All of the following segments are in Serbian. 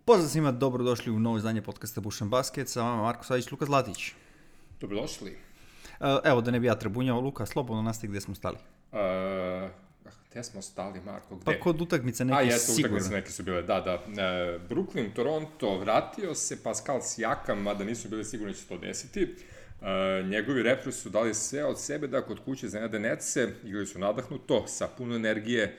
Pozdrav svima, dobrodošli u novo izdanje podcasta Bušan Basket, sa vama Marko Savić, Luka Zlatić. Dobrodošli. Evo, da ne bi ja trebunjao, Luka, slobodno nastavi gde smo stali. Gde smo stali, Marko, gde? Pa kod utakmice neki sigurno. Utakmice neke su bile, da. Brooklyn, Toronto, vratio se Pascal Siakam, mada nisu bili sigurni će to desiti. Njegovi Raptors su dali sve od sebe da kod kuće iznenade Netse, igrali su nadahnuto, sa puno energije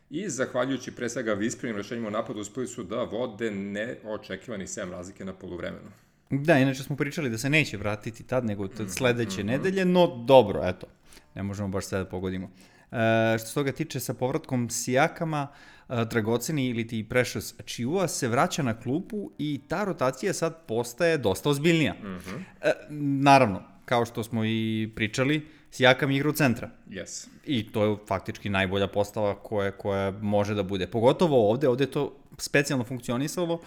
i zahvaljujući pre svega visprenim rešenjima u napadu uspeli su da vode neočekivani 7 razlike na poluvremenu. Da, inače smo pričali da se neće vratiti tad, nego sledeće nedelje, no dobro, eto, ne možemo baš sve da pogodimo. Što se toga tiče, sa povratkom Siakama, dragoceni ili ti Precious Achiuwa se vraća na klupu i ta rotacija sad postaje dosta ozbiljnija. Naravno, kao što smo i pričali, Siakam igra u centra. Yes. I to je faktički najbolja postava koja može da bude. Pogotovo ovde je to specijalno funkcionisalo,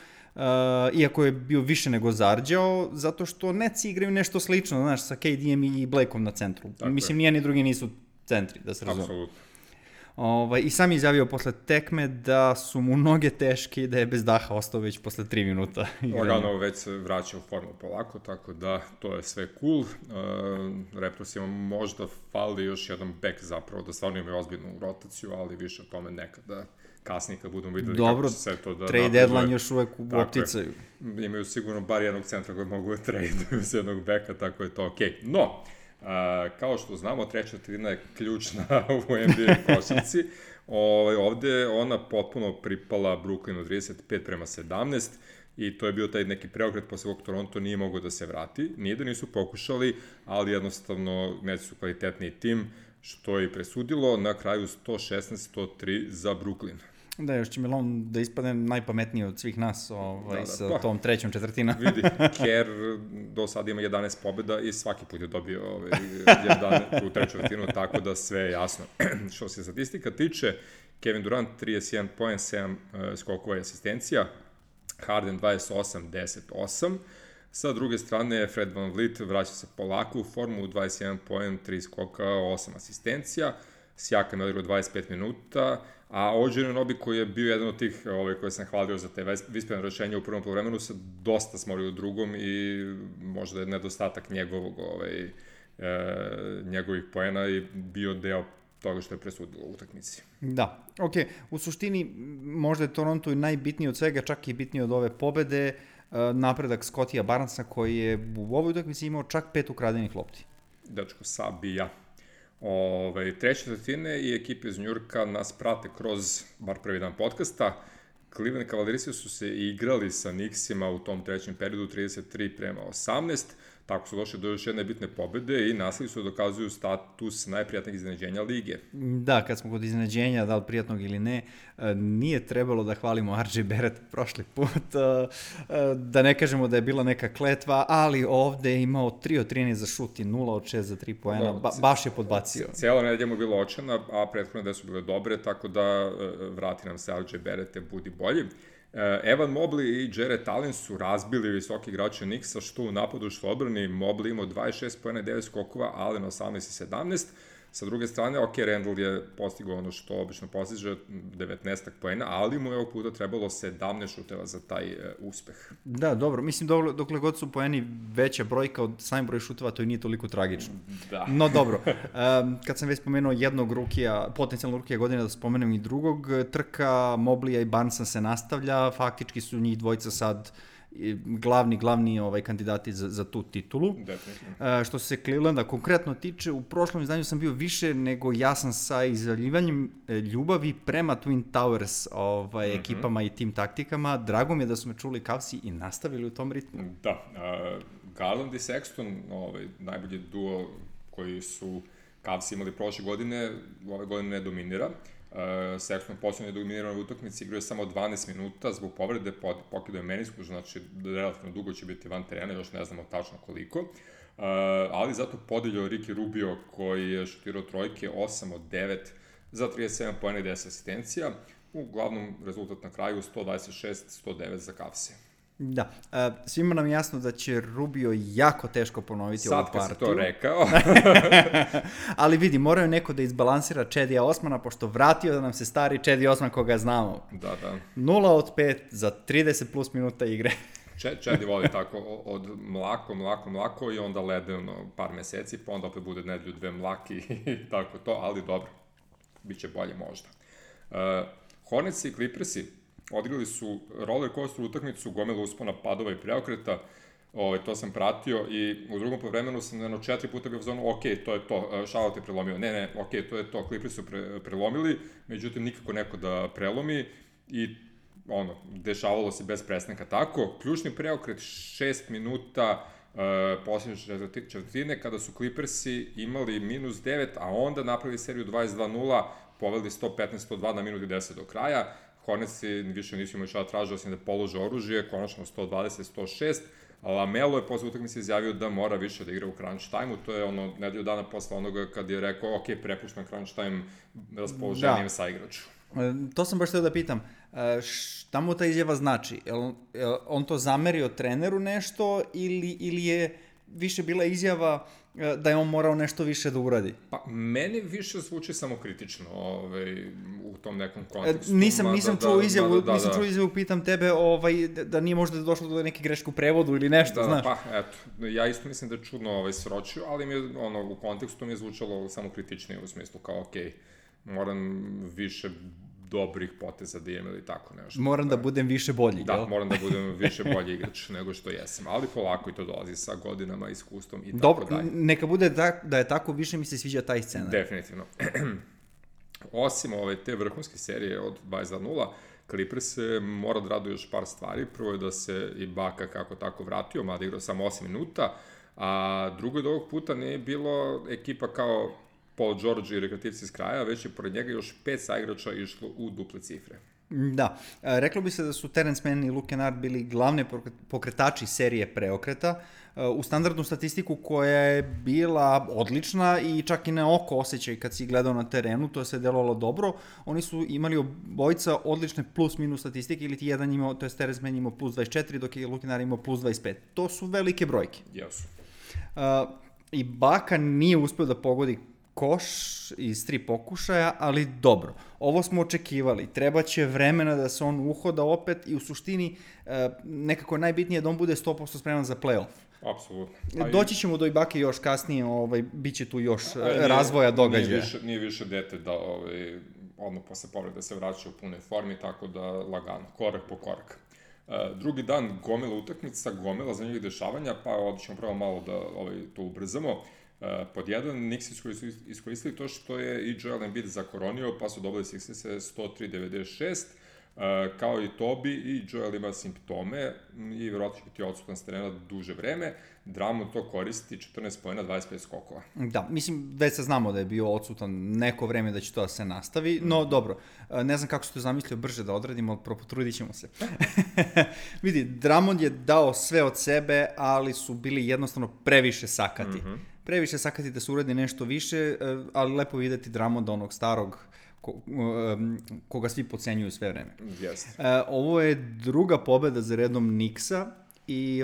iako je bio više nego zarđao, zato što Netsi igraju nešto slično, znaš, sa KD-em i Blakeom na centru. Tako mislim, nijedni drugi nisu centri, da se razume. Apsolutno. I sam je izjavio posle tekme da su mu noge teške i da je bez daha ostao već posle 3 minuta. Lagano već se vraća u formu polako, tako da to je sve cool. Raptorsima možda fali još jedan back zapravo, da stvarno imaju ozbiljnu rotaciju, ali više o tome nekada kasnije kad budemo videli kako će sve to da trade deadline još uvek u opticaju. Imaju sigurno bar jednog centra koji mogu da traduju s jednog backa, tako je to okej. No, kao što znamo, treća četvrtina je ključna u NBA košarci. Ovde ona potpuno pripala Brooklynu 35-17 i to je bio taj neki preokret posle kog Toronto nije mogao da se vrati. Nije da nisu pokušali, ali jednostavno neći su kvalitetniji tim, što je i presudilo. Na kraju 116-103 za Brooklyn. Da, još će Milon da ispadne najpametniji od svih nas sa tom trećom četvrtinom. Vidi, Kerr do sada ima 11 pobjeda i svaki put je dobio 11 u treću četvrtinu, tako da sve je jasno. Što se statistika tiče, Kevin Durant 31 poen, 7 skokova i asistencija, Harden 28-10-8, sa druge strane Fred VanVleet vraća se polako u formu, 21 poen, 3 skoka, 8 asistencija, Siakam je odigrao 25 minuta, a OG Anunoby koji je bio jedan od tih koje sam hvalio za te visprene rešenja u prvom poluvremenu se dosta smorio u drugom i možda je nedostatak njegovih poena i bio deo toga što je presudilo u utakmici. Da, okej. U suštini možda je Toronto i najbitniji od svega, čak i bitniji od ove pobede, napredak Scottija Barnesa koji je u ovoj utakmici imao čak 5 ukradenih lopti. Dečko sabija. Treće četvrtine i ekipe iz Njurka nas prate kroz bar prvi dan podcasta. Cleveland Cavaliersi su se igrali sa Knicksima u tom trećem periodu 33-18, tako su došli do još jedne bitne pobede i nastavili su da dokazuju status najprijatnijeg iznenađenja lige. Da, kad smo kod iznenađenja, da li prijatnog ili ne, nije trebalo da hvalimo RJ Barrett prošli put, da ne kažemo da je bila neka kletva, ali ovde je imao 3 od 13 za šut i 0 od 6 za 3 poena, baš je podbacio. Cijela nedelja mu je bila očena, a prethodne da su bile dobre, tako da vrati nam se RJ Barrett, budi bolji. Evan Mobley i Jarrett Allen su razbili visoki igrače Knicksa, što u napadu, što odbrani. Mobley imao 26 poena, 9 skokova, Allen 18 i 17. Sa druge strane, Randall je postigao ono što obično postiže, 19 poena, ali mu je ovog puta trebalo 17 šuteva za taj uspeh. Da, dobro. Mislim, dokle god su poeni veća brojka od samim broj šuteva, to i nije toliko tragično. Da. No, dobro. Kad sam već spomenuo jednog rukija, potencijalnog rukija godine, da spomenem i drugog, trka Mobleya i Barnesa se nastavlja. Faktički su njih dvojica sad glavni kandidati za tu titulu. Definitivno. Što se Clevelanda konkretno tiče, u prošlom izdanju sam bio više nego jasan sa izjavljivanjem ljubavi prema Twin Towers ekipama i tim taktikama. Drago mi je da su me čuli Cavsi i nastavili u tom ritmu. Da, Garland i Sexton, najbolji duo koji su Cavsi imali prošle godine, ove godine ne dominira. Sexton poslednje dominirano u utakmici, igrao je samo 12 minuta zbog povrede, pokidao je menisku, znači relativno dugo će biti van terena, još ne znamo tačno koliko, ali zato podeljao Ricky Rubio koji je šutirao trojke 8 od 9 za 37 poena i 10 asistencija, uglavnom rezultat na kraju 126-109 za Cavse. Da, svima nam je jasno da će Rubio jako teško ponoviti ovu partiju. Sad kad si to rekao. Ali vidi, moraju neko da izbalansira Chedija Osmana, pošto vratio da nam se stari Chedi Osman koga znamo. Da. 0 od 5 za 30 plus minuta igre. Chedi voli tako od mlako i onda ledeno par meseci, pa onda opet bude nedelju dve mlaki i tako to, ali dobro, biće bolje možda. Hornets i Clippersi odigrali su roller coaster utakmicu, gomila uspona, padova i preokreta, to sam pratio i u drugom povremenu sam 4 puta bio u zonu, ok, to je to, Charlotte je prelomio, ne, ok, to je to, Clippers su prelomili, međutim nikako neko da prelomi i dešavalo se bez prestanka tako. Ključni preokret 6 minuta posljednje četvrtine kada su Clippersi imali -9, a onda napravili seriju 22-0, poveli 115-102 na minut i 10 do kraja. Hornetsi više nisu imali šta tražili osim da polože oružje, konačno 120-106. Lamelo je posle utakmice izjavio da mora više da igra u crunch time-u, to je nedelju dana posle onoga kad je rekao, ok, prepuštam crunch time raspoloženim sa igraču. To sam baš htio da pitam, šta mu ta izjava znači? On to zamerio treneru nešto ili je više bila izjava da je on morao nešto više da uradi? Pa, meni više zvuči samokritično u tom nekom kontekstu. Nisam čuo izjavu, pitam tebe da nije možda došlo do neke greške u prevodu ili nešto, znaš? Pa, eto, ja isto mislim da je čudno sročio, ali mi je, u kontekstu mi je zvučalo samokritičnije u smislu kao, okej, moram više dobrih poteza da imam ili tako nešto. Moram da budem više bolji, da, jel? Moram da budem više bolji igrač nego što jesam, ali polako i to dolazi sa godinama, iskustvom i tako dalje. Dobro, neka bude da je tako, više mi se sviđa taj scenar. Definitivno. Osim te vrhunske serije od 22-0, Clippers se mora da radu još par stvari. Prvo je da se i Baka kako tako vratio, mada igrao samo 8 minuta, a drugo je da ovog puta nije bilo ekipa kao Paul George i rekreativci iz kraja, već je pored njega još 5 saigrača išlo u duple cifre. Da, reklo bi se da su Terence Mann i Luke Kennard bili glavne pokretači serije preokreta u standardnu statistiku koja je bila odlična i čak i na oko osjećaj kad si gledao na terenu, to je sve delovalo dobro. Oni su imali obojica odlične plus-minus statistike, ili ti jedan imao, to je Terence Mann imao plus 24, dok je Luke Kennard imao plus 25. To su velike brojke. Jesu. I Baka nije uspeo da pogodi koš iz 3 pokušaja, ali dobro. Ovo smo očekivali. Trebaće vremena da se on uhoda opet i u suštini nekako najbitnije da on bude 100% spreman za play-off. Apsolutno. Doći ćemo do Ibake još kasnije, bit će tu još razvoja događaja. Nije više dete da odmah posle povrede se vraća u punoj formi, tako da lagano, korak po korak. Drugi dan gomila utakmica, gomila zanimljivih dešavanja, pa ćemo prvo malo da to ubrzamo. Pod jedan, Knicks iskoristili to što je i Joel Embiid zakoronio, pa su dobili Sixers 103-96, kao i Tobi, i Joel ima simptome i vjerojatno će biti odsutan s terena duže vreme. Drummond to koristi 14 poena, 25 skokova. Da, mislim, već se znamo da je bio odsutan neko vreme, da će to da se nastavi, no dobro, ne znam kako se to zamislio brže da odradimo, ali potrudit ćemo se. Vidi, Drummond je dao sve od sebe, ali su bili jednostavno previše sakati. Previše sakati da se uradi nešto više, ali lepo videti Drummonda, onog starog, koga svi podcenjuju sve vreme. Yes. Ovo je druga pobeda za redom Knicksa i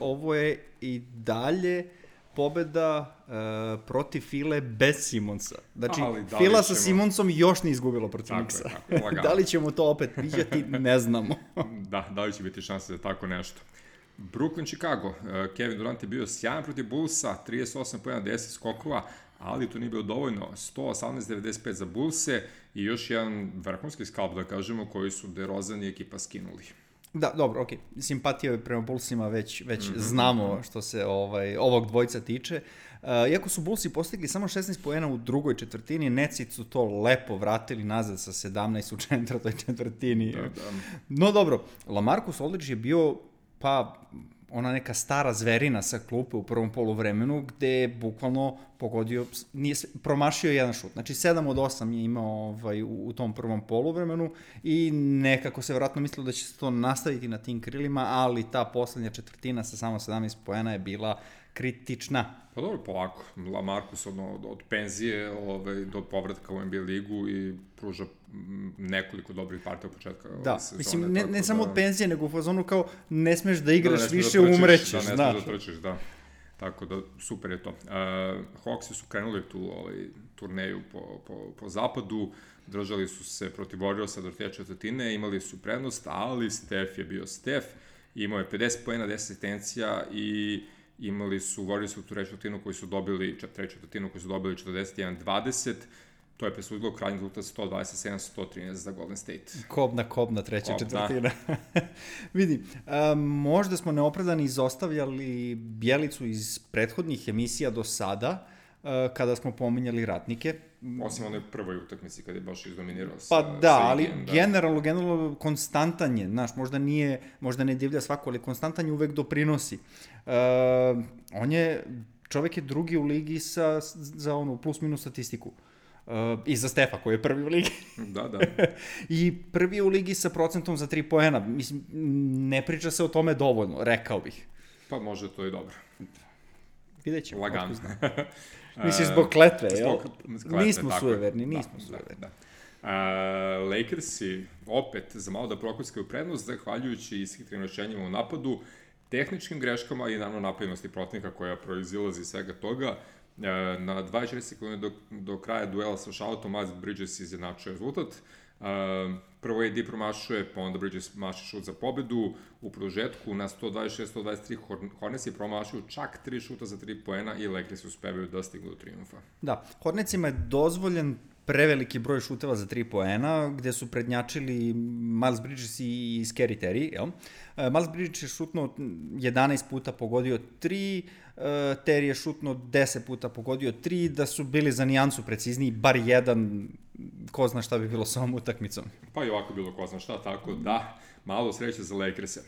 ovo je i dalje pobeda protiv File bez Simonsa. Znači, Fila sa Simonsom još nije izgubilo protiv Knicksa. Da li ćemo to opet viđati, ne znamo. Da li će biti šanse za tako nešto. Brooklyn, Chicago. Kevin Durant je bio sjajan protiv Bullsa, 38 pojena, 10 skokova, ali to nije bilo dovoljno. 118-95 za Bullse i još jedan vrhunski skalp, da kažemo, koji su DeRozan i ekipa skinuli. Da, dobro, okej. Simpatija prema Bullsima već znamo što se ovog dvojca tiče. Iako su Bullsi postigli samo 16 poena u drugoj četvrtini, Netsi su to lepo vratili nazad sa 17 u četvrtoj četvrtini. Da. No dobro, LaMarcus Aldridge je bio ona neka stara zverina sa klupe u prvom poluvremenu, gde je bukvalno pogodio, promašio jedan šut. Znači 7 od 8 je imao u tom prvom poluvremenu i nekako se vjerojatno mislilo da će se to nastaviti na tim krilima, ali ta poslednja četvrtina sa samo 17 poena je bila kritična. Pa dobro, polako. Lamarcus od penzije do povratka u NBA ligu i pruža nekoliko dobrih partija od početka sezone. Mislim, ne samo od penzije, nego u fazonu kao ne smeš da igraš više, umrećeš. Da, ne smeš da trčiš, da. Tako da, super je to. Hawksi su krenuli tu turneju po zapadu, držali su se protiv Warriorsa do te četvrtine, imali su prednost, ali Steph je bio Steph, imao je 50 poena, 10 asistencija i imali su Warriorsa u tu treću četvrtinu koji su dobili 41-20, to je presudilo krajnji rezultat 127-113 za Golden State. Kobna treća četvrtina. Vidi, možda smo neopravdani izostavljali Bjelicu iz prethodnih emisija do sada, kada smo pominjali ratnike. Osim onoj prvoj utakmici kada je baš izdominirao pa da, ali generalno konstantan je, znaš, možda ne divlja svako, ali konstantan je uvek doprinosi. Čovek je drugi u ligi za onu plus minus statistiku. I za Stefa koji je prvi u ligi. Da. I prvi u ligi sa procentom za 3 poena. Mislim, ne priča se o tome dovoljno, rekao bih. Pa može to i dobro. Vidjet ćemo. Lagano. Misliš zbog kletve, jel? Nismo sujeverni. Lakersi opet za malo da prokuckaju prednost, zahvaljujući ishitrnim rešenjima u napadu, tehničkim greškama i naravno napadnosti protivnika koja proizilazi iz svega toga. Na 24 sekunde do kraja duela sa Charlotteom, Miles Bridges izjednačuje rezultat. Prvo AD promašuje, pa onda Bridges maši šut za pobedu. U produžetku na 126-123 Hornets je promašuju čak 3 šuta za 3 poena i Lakers uspevaju da stignu do triumfa. Da, Hornetsima je dozvoljen preveliki broj šuteva za 3 poena, gde su prednjačili Miles Bridges i Scary Terry, jel? Miles Bridges je šutno 11 puta pogodio 3, Terry je šutno 10 puta pogodio 3, da su bili za nijansu precizniji, bar jedan, ko zna šta bi bilo sa ovom utakmicom. Pa i ovako bilo ko zna šta, tako da, malo sreće za Lakers-e.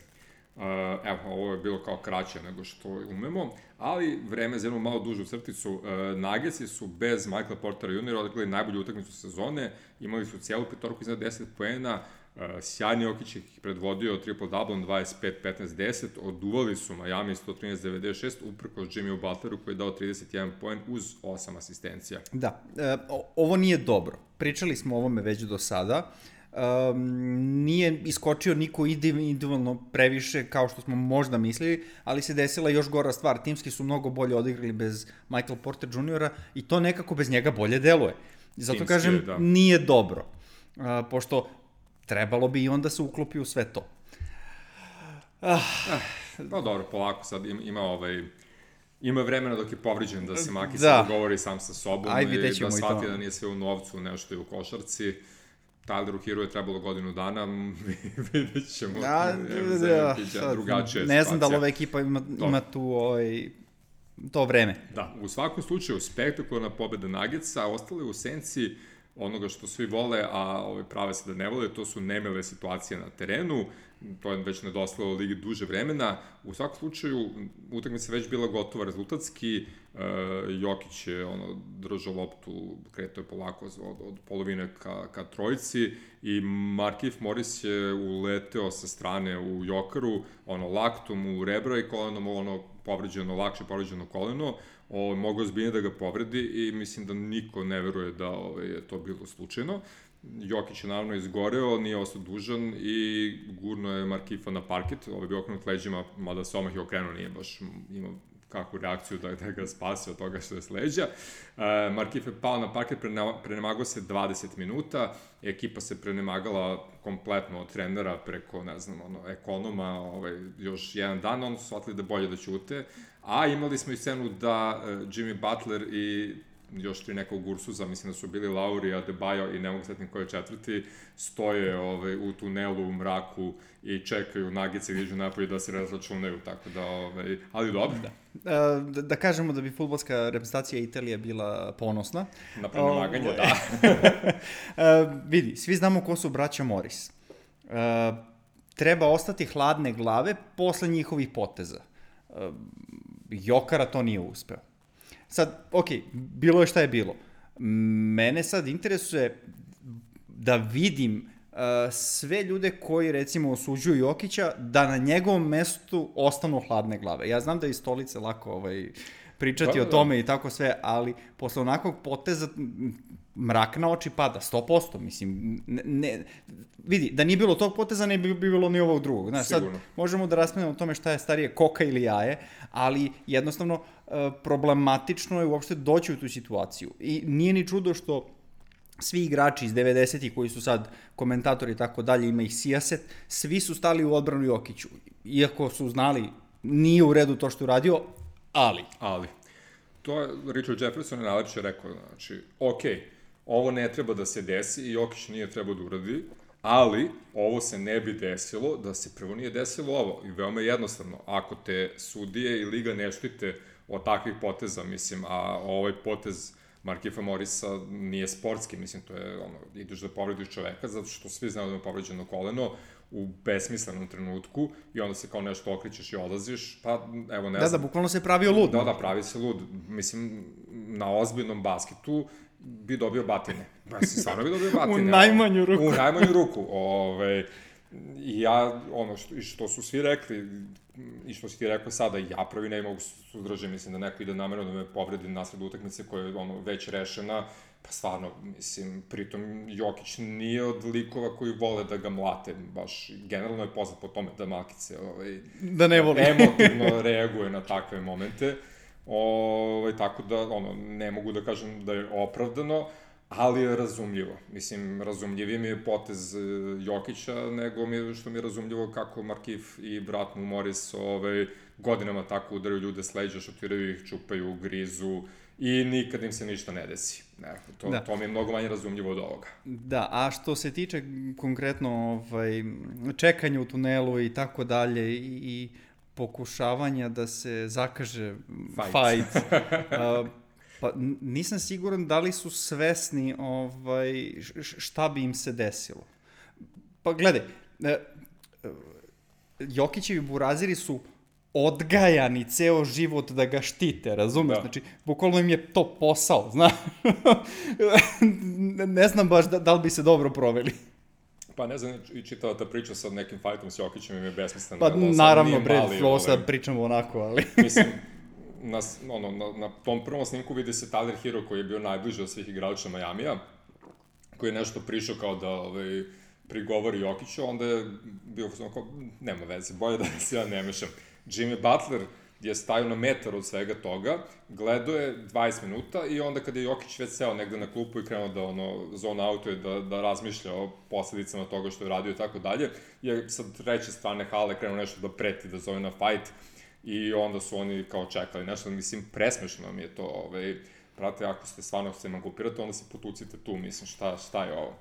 Evo, ovo je bilo kao kraće nego što umemo, ali vreme za jednu malo dužu crticu. Nuggetsi su bez Michaela Portera Jr. odigrali najbolju utakmicu sezone, imali su cijelu petorku iznad 10 poena, sjajni Jokić ih predvodio triple-double 25-15-10, oduvali su Miami 113-96, uprkos Jimmyu Butleru koji je dao 31 poen uz 8 asistencija. Da, ovo nije dobro. Pričali smo o ovome već do sada. Nije iskočio niko individualno previše kao što smo možda mislili, ali se desila još gora stvar. Timski su mnogo bolje odigrali bez Michael Porter Jr. i to nekako bez njega bolje deluje. Zato Timski, kažem, da. Nije dobro. Pošto trebalo bi i onda se uklopi u sve to. Pa dobro, polako sad ima vremena dok je povriđen da se Maki se dogovori sam sa sobom i da shvati da nije sve u novcu, nešto je u košarci. Tyleru Hero je trebalo godinu dana, vidjet ćemo drugačije. Ne znam da li ova ekipa ima tu to vreme. Da, u svakom slučaju, spektakularna pobeda Nuggetsa, ostale u senci onoga što svi vole, a prave se da ne vole, to su nemile situacije na terenu, to je već nedostajalo ligi duže vremena. U svakom slučaju, utakmica već bila gotova rezultatski, Jokić je držao loptu, kretao je polako od polovine ka trojici i Markieff Morris je uleteo sa strane u Jokaru, laktom u rebra i kolenom, lakše povređeno koleno, mogao zbiljno da ga povredi i mislim da niko ne veruje da je to bilo slučajno. Jokić je naravno izgoreo, nije ostao dužan i gurno je Markieffa na parket, je bio okrenut leđima, mada se omah je okrenuo, nije baš imao kakvu reakciju da ga spasi od toga što je s leđa. Markieff je pao na parket, prenemagao se 20 minuta, ekipa se prenemagala kompletno od trenera preko, ekonoma, još jedan dan, oni su shvatili da bolje da ćute, a imali smo i scenu da Jimmy Butler i još 3 nekog Ursuza, mislim da su bili Lauri, Adebayo i ne mogu setiti koji je četvrti, stoje u tunelu u mraku i čekaju Nuggetsi da iđu napolje da se razračunaju, tako da, ali dobro. Da kažemo da bi fudbalska reprezentacija Italije bila ponosna. Na prenemaganje, da. Vidi, svi znamo ko su braća Morris. Treba ostati hladne glave posle njihovih poteza. Jokara to nije uspeo. Sad, bilo je šta je bilo. Mene sad interesuje da vidim sve ljude koji, recimo, osuđuju Jokića, da na njegovom mestu ostanu hladne glave. Ja znam da je iz stolice lako pričati o tome i tako sve, ali posle onakvog poteza mrak na oči pada, 100%, mislim, vidi, da nije bilo tog poteza, ne bi bilo ni ovog drugog. Znaš, sad možemo da raspravljamo o tome šta je starije, koka ili jaje, ali jednostavno problematično je uopšte doći u tu situaciju. I nije ni čudo što svi igrači iz 90-ih koji su sad komentatori i tako dalje, ima ih sijaset, svi su stali u odbranu Jokiću. Iako su znali, nije u redu to što je uradio, ali. To je Richard Jefferson je najlepše rekao, znači, ovo ne treba da se desi i Jokić nije trebao da uradi, ali ovo se ne bi desilo da se prvo nije desilo ovo. I veoma jednostavno, ako te sudije i liga ne štite od takvih poteza, mislim, a ovaj potez Markifa Morisa nije sportski, mislim, to je ideš da povrediš čoveka, zato što svi znaju da je povređeno koleno u besmislenom trenutku i onda se kao nešto okrićeš i odlaziš, pa evo ne znam. Da, bukvalno se pravio lud. Da, pravi se lud. Mislim, na ozbiljnom basketu bi dobio batine. Mislim, stvarno bi dobio batine. U najmanju ruku. U najmanju ruku. I ja, što su svi rekli, i što si ti rekao sada, ja prvi ne mogu suzdržati, mislim da neko ide namerno da me povredi nasred utakmice koja je već rešena, pa stvarno, mislim, pritom Jokić nije od likova koji vole da ga mlate, baš generalno je poznat po tome da Malkice da ne voli. Emotivno reaguje na takve momente, tako da, ne mogu da kažem da je opravdano, ali je razumljivo. Mislim, razumljiviji mi je potez Jokića nego što mi je razumljivo kako Markif i brat mu Morris godinama tako udaraju ljude s leđa, šutiraju ih, čupaju, grizu i nikad im se ništa ne desi. To mi je mnogo manje razumljivo od ovoga. Da, a što se tiče konkretno čekanja u tunelu i tako dalje i pokušavanja da se zakaže fight pa nisam siguran da li su svesni šta bi im se desilo. Pa gledaj, Jokićevi buraziri su odgajani ceo život da ga štite, razumeš? Da. Znači, bukvalno im je to posao, znaš? Ne znam baš da li bi se dobro proveli. Pa ne znam, i čitava ta priča sa nekim fajtom s Jokićem im je besmislena. Pa naravno, ovo sad pričamo onako, ali... Mislim, na tom prvom snimku vidi se Tyler Hero koji je bio najbliže od svih igrača Majamija, koji je nešto prišao kao da prigovori Jokiću, onda je bio kao, nema veze, bolje da se ja ne mešam. Jimmy Butler je stajao na metar od svega toga, gledao je 20 minuta i onda kada je Jokić već seo negde na klupu i krenuo da zone outuje, da razmišlja o posledicama toga što je radio i tako dalje, je sa treće strane hale krenuo nešto da preti, da zove na fight, i onda su oni kao čekali nešto, mislim, presmešno mi je to, brate, ako ste stvarno se emancipirate, onda se potucite tu, mislim, šta je ovo?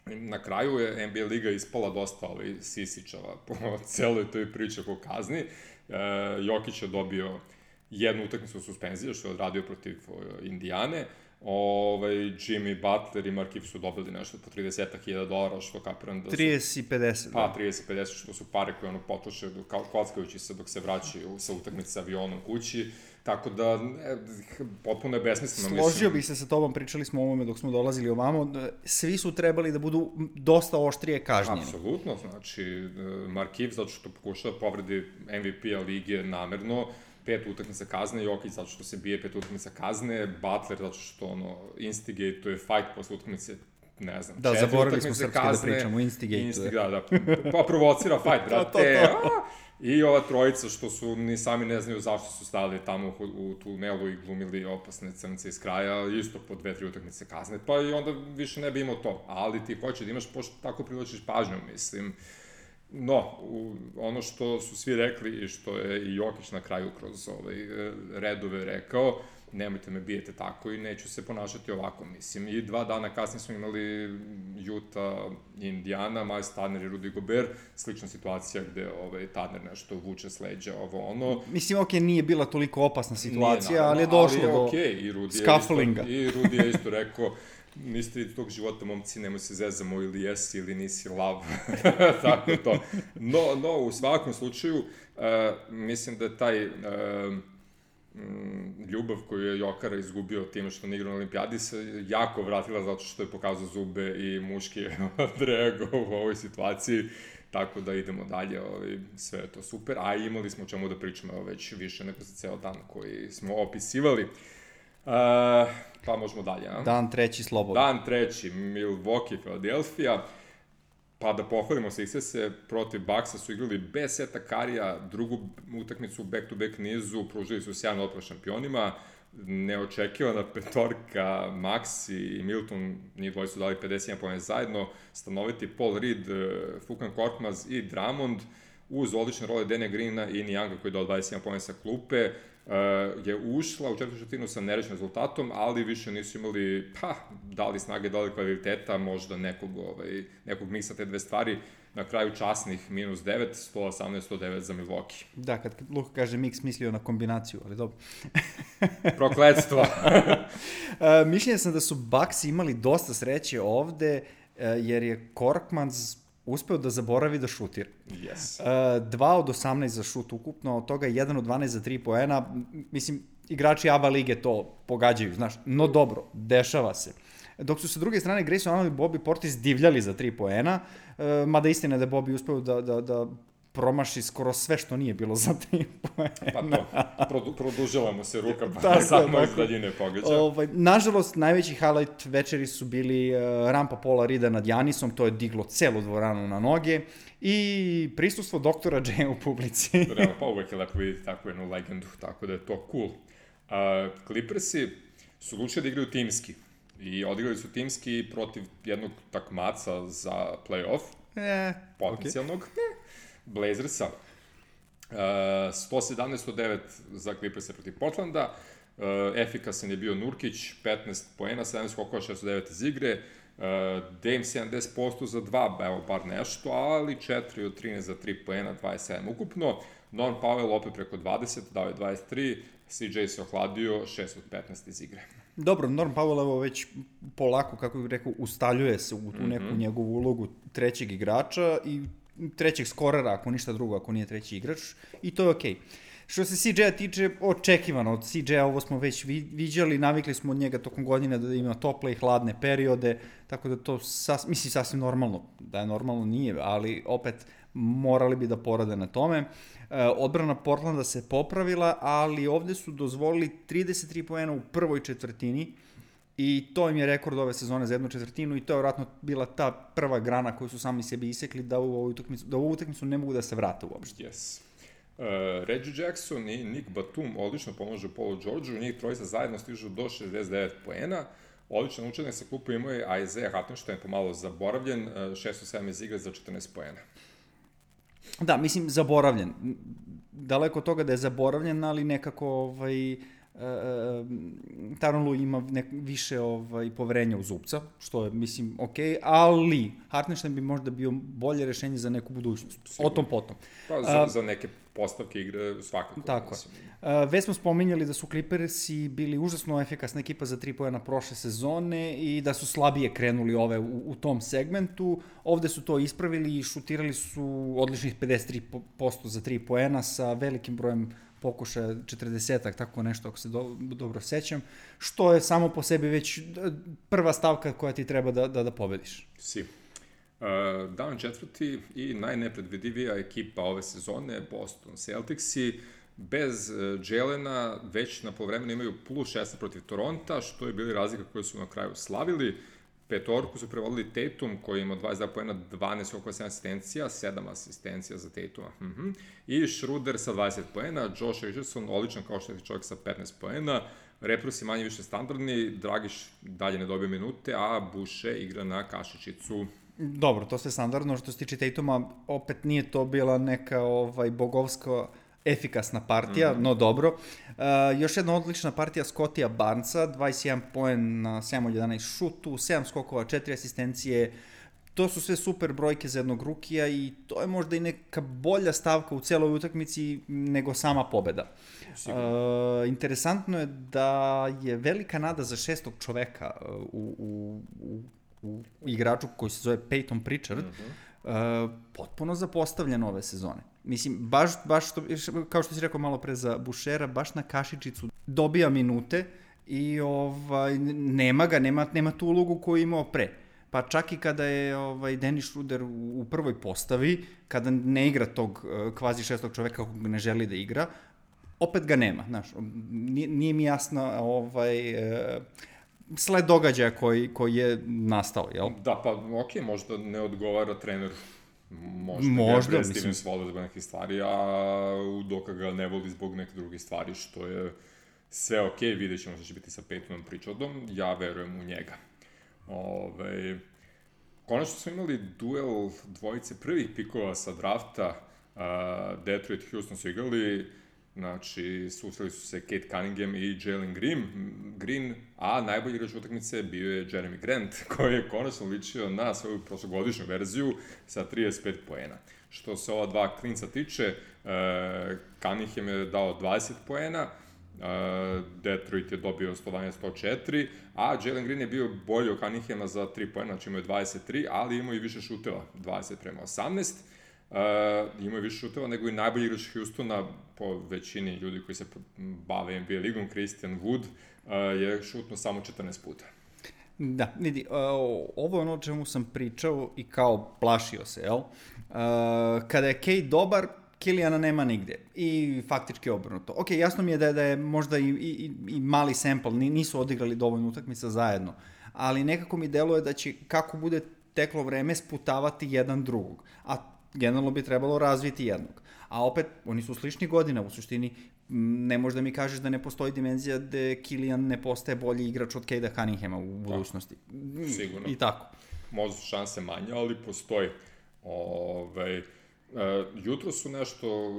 Na kraju je NBA liga ispala dosta sisičava po celoj toj priči oko kazni. Jokić je dobio jednu utakmicu suspenzije, što je odradio protiv Indijane. Jimmy Butler i Markif su dobili nešto po $30,000, što kapiram da su... 30 i 50. Pa, 30 i 50, što su pare koje potroše kockajući se dok se vraćaju sa utakmice sa avionom kući. Tako da, potpuno je besmisleno. Složio bih se sa tobom, pričali smo o ovome dok smo dolazili ovamo, svi su trebali da budu dosta oštrije kažnjeni. Apsolutno, znači, Markif, zato što pokušava povredi MVP-a lige namerno, 5 utakmica kazne, Jokić zato što se bije 5 utakmica kazne, Butler zato što instigate, to je fight posle utakmice, ne znam, 4 utakmice kazne. Da, zaboravili smo srpski da pričamo, instigate. Da, pa provocira fight, brate. I ova trojica što su ni sami ne znaju zašto su stavili tamo u tunelu i glumili opasne crnce iz kraja, isto po 2-3 utakmice kazne, pa i onda više ne bi imao to. Ali ti hoće da imaš, pošto tako privlačiš pažnju, mislim. No, ono što su svi rekli i što je i Jokić na kraju kroz redove rekao, nemojte me bijete tako i neću se ponašati ovako, mislim. I 2 dana kasnije smo imali Utah i Indiana, Miles Turner i Rudy Gobert, slična situacija gde Turner nešto vuče s leđa, Mislim, nije bila toliko opasna situacija, ali je došlo do scufflinga. I Rudy je isto rekao, niste iz tog života, momci, nemoj se zezamo, ili jesi ili nisi lav, tako to. No, u svakom slučaju, mislim da je taj ljubav koju je Jokara izgubio time što ne igra na olimpijadi se jako vratila zato što je pokazao zube i muški odreagovao u ovoj situaciji, tako da idemo dalje, sve je to super, a imali smo o čemu da pričamo već više nego za ceo dan koji smo opisivali. Pa možemo dalje, a? Dan treći slobodno. Dan treći, Milwaukee, Philadelphia. Pa da pohvalimo Sixerse, protiv Bucksa su igrali bez seta Karija, drugu utakmicu u back-to-back nizu, pružili su sjajan otpor šampionima, neočekivana petorka, Maxi i Milton, njih dvoji su dali 51 poena zajedno, stanoviti Paul Reed, Furkan Korkmaz i Drummond, uz odlične role Dana Greena i Nijanga koji je dao 21 poena sa klupe, je ušla u četvrtu četvrtinu sa nerešnim rezultatom, ali više nisu imali, da li snage, da li kvaliteta, možda nekog miksa te dve stvari. Na kraju časnih -9, 118-109 za Milwaukee. Da, kad Luka kaže mix, mislio na kombinaciju, ali dobro. Prokletstvo. Mišljenja sam da su Bucksi imali dosta sreće ovde, jer je Korkmaz uspeo da zaboravi da šutira. Yes. 2 od 18 za šut ukupno, od toga 1 od 12 za 3 poena. Mislim, igrači ABA lige to pogađaju, znaš, no dobro, dešava se. Dok su sa druge strane Grayson Allen i Bobby Portis divljali za 3 poena, mada istina je da je Bobby uspeo da promaši skoro sve što nije bilo za 3 poena. Pa to, produžila mu se ruka, pa samo iz daljine pogađa. Nažalost, najveći highlight večeri su bili rampa Paula Reeda nad Janisom, to je diglo celu dvoranu na noge, i prisustvo doktora J u publici. Realno, pa uvek je lepo vidjeti takvu jednu legendu, tako da je to cool. Clippersi su lučili da igraju timski i odigrali su timski protiv jednog takmaca za play-off, potencijalnog. Okay. Blazersa. 117-109 za Clippersa protiv Portlanda. Efikasan je bio Nurkić, 15 poena, 17 skokova, 609 iz igre. Dame 70% za 2, evo bar nešto, ali 4 od 13 za 3 poena, 27 ukupno. Norm Powell opet preko 20, dao je 23. CJ se ohladio, 6 od 15 iz igre. Dobro, Norm Powell evo već polako, kako bih rekao, ustaljuje se u tu neku njegovu ulogu trećeg igrača i trećeg skorera, ako ništa drugo, ako nije treći igrač, i to je okej. Što se CJ-a tiče, očekivano od CJ-a, ovo smo već viđali, navikli smo od njega tokom godine da ima tople i hladne periode, tako da to sasvim normalno, da je normalno nije, ali opet morali bi da porade na tome. Odbrana Portlanda se popravila, ali ovde su dozvolili 33 poena u prvoj četvrtini, i to im je rekord ove sezone za jednu četvrtinu, i to je vjerojatno bila ta prva grana koju su sami sebi isekli da u ovu utakmicu ne mogu da se vrate uopšte. Yes. Reggie Jackson i Nick Batum odlično pomožu Paulu Georgeu, njih trojica zajedno stižu do 69 poena. Odličan učenik sa klupu imao je Isaiah Hartenstein, pomalo zaboravljen, 607 iz igre za 14 poena. Da, mislim, zaboravljen. Daleko od toga da je zaboravljen, ali nekako Tyronn Lue ima više poverenja u zupca, što je, mislim, okej, ali Hartenstein bi možda bio bolje rešenje za neku budućnost. Sigurno. O tom potom. Pa za neke postavke igre svakako. Tako je. Već smo spominjali da su Clippersi bili užasno efikasna ekipa za 3 poena prošle sezone i da su slabije krenuli ove u tom segmentu. Ovde su to ispravili i šutirali su odličnih 53% za 3 poena sa velikim brojem pokušaja, 40-ak, tako nešto, ako se dobro sećam, što je samo po sebi već prva stavka koja ti treba da pobediš. Dan četvrti i najnepredvidivija ekipa ove sezone, Boston Celticsi, bez Jelena već na polovremenu imaju +16 protiv Toronta, što je bili razlika koje su na kraju slavili. Petorku su prevodili Tatum, koji ima 22 poena, 12 oko 7 asistencija, 7 asistencija za Tatuma. I Schroeder sa 20 poena, Josh Richardson, odličan kao što je čovjek sa 15 poena, Reprus je manje više standardni, Dragiš dalje ne dobije minute, a Boucher igra na kašičicu. Dobro, to sve standardno. Što se tiče Tatuma, opet nije to bila neka bogovska efikasna partija, no dobro. Još jedna odlična partija Scottija Barnesa, 21 poen na 7 od 11 šutu, 7 skokova, 4 asistencije. To su sve super brojke za jednog rukija i to je možda i neka bolja stavka u celoj utakmici nego sama pobeda. Interesantno je da je velika nada za šestog čoveka u igraču koji se zove Peyton Pritchard, potpuno zapostavljen ove sezone. Mislim, baš to, kao što si rekao malo pre za Bušera, baš na kašičicu dobija minute i nema tu ulogu koju je imao pre. Pa čak i kada je Dennis Schroeder u prvoj postavi, kada ne igra tog kvazi šestog čoveka kog ne želi da igra, opet ga nema, znaš. Nije mi jasno sled događaja koji je nastao, jel? Da, pa okej, možda ne odgovara treneru. Možda Stevens voli zbog nekih stvari, a Udoka ga ne voli zbog nekih drugih stvari, što je sve okej, vidjet ćemo što će biti sa Peytonom Pritchardom, ja verujem u njega. Konačno smo imali duel dvojice prvih pikova sa drafta, Detroit i Houston su igrali, znači susreli su se Kate Cunningham i Jalen Green, a najbolji igrač utakmice bio je Jeremy Grant, koji je konačno ličio na svoju prošlogodišnju verziju sa 35 poena. Što se ova dva klinca tiče, Cunningham je dao 20 poena, Detroit je dobio 112-104, a Jalen Green je bio bolji od Cunninghama za 3 poena, znači imao je 23, ali imao i više šuteva, 20-18. Imao je više šuteva nego i najbolji igrač Houstona, po većini ljudi koji se bave NBA ligom, Christian Wood, je šutno samo 14 puta. Da, vidi, ovo je ono o čemu sam pričao i kao plašio se, jel? Kada je Kate dobar, Killijana nema nigde i faktički obrnuto. Ok, jasno mi je da je možda i mali sample, nisu odigrali dovoljno utakmica zajedno, ali nekako mi deluje da će, kako bude teklo vreme, sputavati jedan drugog, a generalno bi trebalo razviti jednog. A opet, oni su slični godina, u suštini ne možda mi kažeš da ne postoji dimenzija da Killian ne postaje bolji igrač od Cade'a Cunninghama u budućnosti. Sigurno. I tako. Možda su šanse manje, ali postoji. Jutro su nešto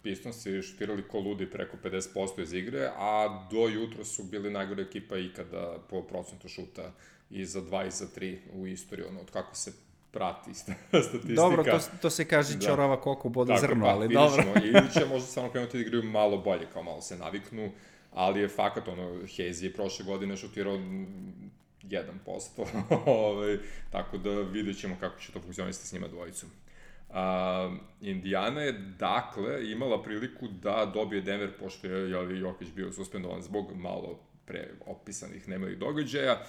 Pistonsi šutirali ko ludi preko 50% iz igre, a do jutro su bili najgore ekipa ikada po procentu šuta i za 2 i za 3 u istoriji, od kako se prati statistika. Dobro, to se kaže čorava koku boda zrno, ali dobro. Ili će možda samo krenuti da igraju malo bolje, kao malo se naviknu, ali je fakat, Hayes je prošle godine šutirao 1%, tako da vidjet ćemo kako će to funkcionisati s njima dvojicom. Indiana je, dakle, imala priliku da dobije Denver, pošto je Jokić bio suspendovan zbog malo pre opisanih nemilih događaja.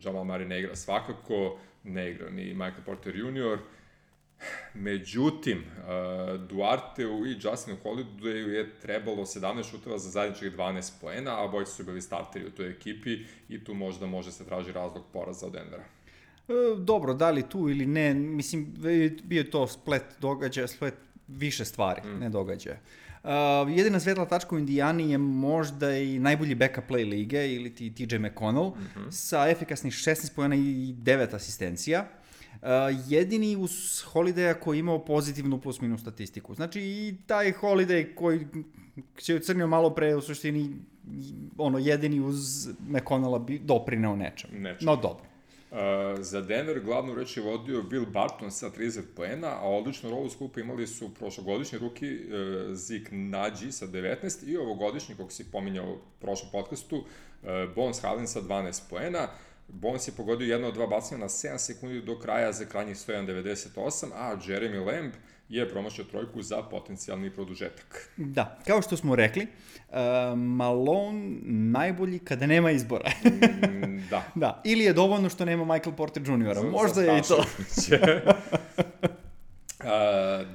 Jamal Murray ne igra svakako, ne igra ni Michael Porter Jr. Međutim, Duarteu i Justinu Holidayu je trebalo 17 šuteva za zajedničkih 12 poena, a obojica su bili starteri u toj ekipi i tu možda može se traži razlog poraza od Denvera. Dobro, da li tu ili ne, mislim, bio je to splet događaja, splet više stvari, ne događaja. Jedina svetla tačka u Indijani je možda i najbolji backup play lige, ili ti TJ McConnell, sa efikasnih 16 pojena i 9 asistencija. Jedini uz Holidaya koji je imao pozitivnu plus-minus statistiku. Znači i taj Holiday koji će crnio malo pre, u suštini, jedini uz McConnella bi doprineo nečem. No dobro. Za Denver glavnu reč je vodio Will Barton sa 30 poena, a odličnu rolu skupa imali su prošlogodišnji ruki Zeke Naji sa 19 i ovogodišnji, kako si pominjao u prošlom podcastu, Bones Hyland sa 12 poena. Bones je pogodio jedno od dva bacanja na 7 sekundi do kraja za krajnjih 101.98, a Jeremy Lamb je promašio trojku za potencijalni produžetak. Da, kao što smo rekli, Malone najbolji kada nema izbora. Da. Ili je dovoljno što nema Michael Porter Jr. Možda je i to.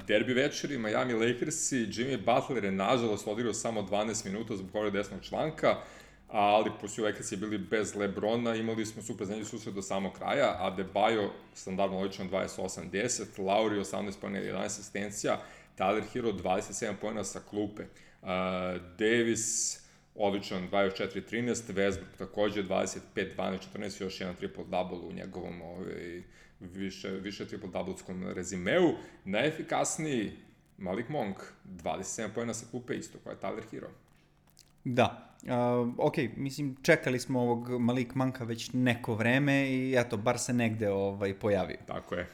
Derbi večeri, Miami Lakersi, Jimmy Butler je nažalost odigrao samo 12 minuta zbog povrede desnog članka, ali pošto Lakersi bili bez LeBrona, imali smo super zanimljiv susret do samog kraja, Adebayo standardno odličan 28-10, Lauri 18 pojena i 11 asistencija, Tyler Hero 27 pojena sa klupe, Davis odličan 24-13, Westbrook takođe 25-12-14, još jedan triple-double u njegovom više triple-doubleskom rezimeu. Najefikasniji Malik Monk, 27 pojena sa klupe isto, koja je Tyler Hero. Da, mislim, čekali smo ovog Malik Monka već neko vreme i eto, bar se negde pojavio. Tako je.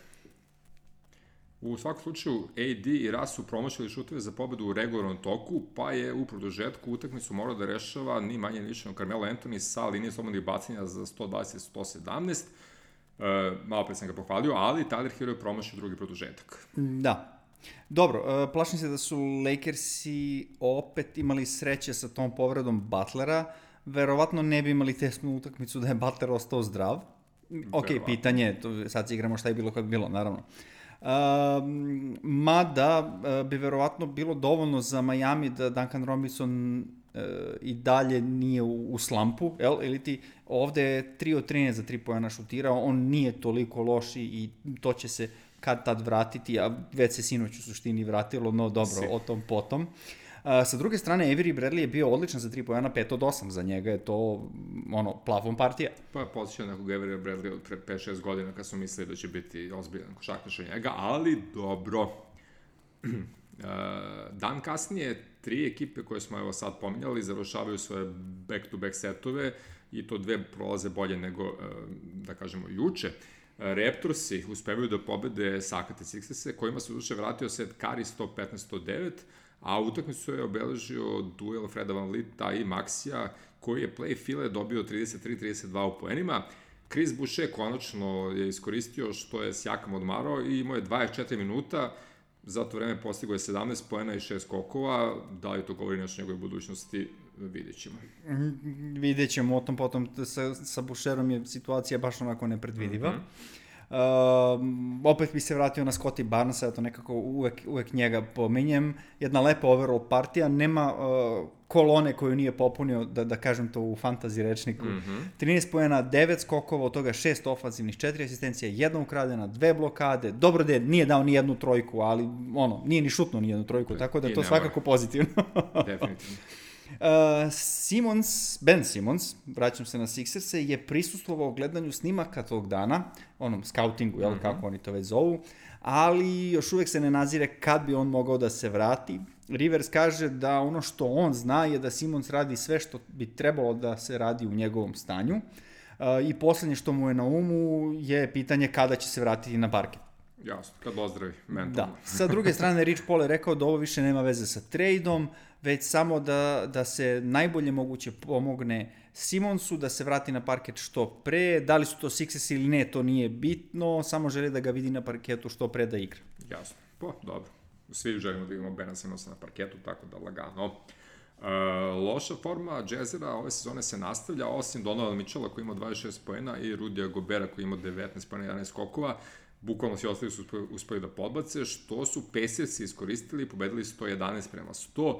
U svakom slučaju, AD i Russ su promašili šuteve za pobedu u regularnom toku, pa je u produžetku utakmicu morao da rešava ni manje ni više Carmelo Anthony sa linije slobodnih bacanja za 120-117. Malo pre sam ga pohvalio, ali Tyler Hero je promašio drugi produžetak. Da. Dobro, plašim se da su Lakersi opet imali sreće sa tom povredom Butlera, verovatno ne bi imali tesnu utakmicu da je Butler ostao zdrav. Ok, pitanje, sad se igramo šta je bilo kad bi bilo, naravno. Mada bi verovatno bilo dovoljno za Miami da Duncan Robinson i dalje nije u slampu, ili ti ovde je 3 od 13 za 3 poena šutirao, on nije toliko loš i to će se kad tad vratiti, a već se sinoć u suštini vratilo, no dobro, o tom potom. Sa druge strane, Avery Bradley je bio odličan za 3 poena, 5 od 8, za njega je to plafon partija. Pa posjećao nekog Avery Bradley od pre 5-6 godina kad smo mislili da će biti ozbiljan košarkaš od njega, ali dobro. Dan kasnije, 3 ekipe koje smo evo sad pominjali završavaju svoje back-to-back setove i to 2 prolaze bolje nego, da kažemo, juče. Raptorsi uspevaju da pobede Sakate Sixerse, kojima se duše vratio set Curry 115-109, a utakmicu je obeležio duel Freda Van Vlieta i Maxija, koji je play file dobio 33-32 u poenima. Chris Boucher konačno je iskoristio što je Siakam odmarao i imao je 24 minuta, za to vreme postigao je 17 poena i 6 skokova. Da li to govori nešto o njegovoj budućnosti, vidjet ćemo. Vidjet ćemo, o tom potom sa Boucherom je situacija baš onako nepredvidiva. Opet bi se vratio na Scottie Barnesa, to nekako uvek njega pominjem. Jedna lepa overall partija, nema kolone koju nije popunio, da kažem to u fantasy rečniku. 13 poena, 9 skokova, od toga 6 ofanzivnih, 4 asistencija, 1 ukradena, 2 blokade. Dobro da nije dao ni jednu trojku, ali nije ni šutnuo ni jednu trojku, tako da je to svakako pozitivno. Definitivno. Ben Simmons, vraćam se na Sixerse, je prisustvovao gledanju snimaka tog dana, onom scoutingu, kako oni to već zovu, ali još uvek se ne nazire kad bi on mogao da se vrati. Rivers kaže da ono što on zna je da Simmons radi sve što bi trebalo da se radi u njegovom stanju i poslednje što mu je na umu je pitanje kada će se vratiti na parket. Jasno, kad ozdravi mentalno. Da. Sa druge strane, Rich Paul je rekao da ovo više nema veze sa trejdom, već samo da se najbolje moguće pomogne Simmonsu, da se vrati na parket što pre. Da li su to Sixers ili ne, to nije bitno, samo želi da ga vidi na parketu što pre da igra. Jasno, pa dobro. Svi želimo da imamo Bena Simmonsa na parketu, tako da lagano. Loša forma Jazzera ove sezone se nastavlja, osim Donovan Mitchella koji ima 26 poena i Rudija Gobera koji ima 19 poena i 11 skokova. Bukvalno svi ostali su uspeli da podbace, što su Pacersi iskoristili i pobedili 111-100.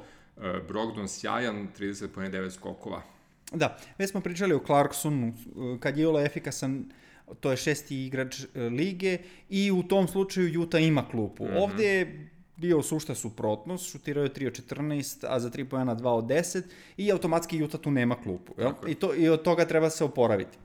Brogdon sjajan, 30 poena 9 skokova. Da, već smo pričali o Clarksonu, kad je Jola efikasan, to je 6. igrač lige i u tom slučaju Utah ima klupu. Ovde je bio sušta suprotnost, šutirao je 3 od 14, a za 3 poena 2 od 10 i automatski Utah tu nema klupu. I od toga treba se oporaviti.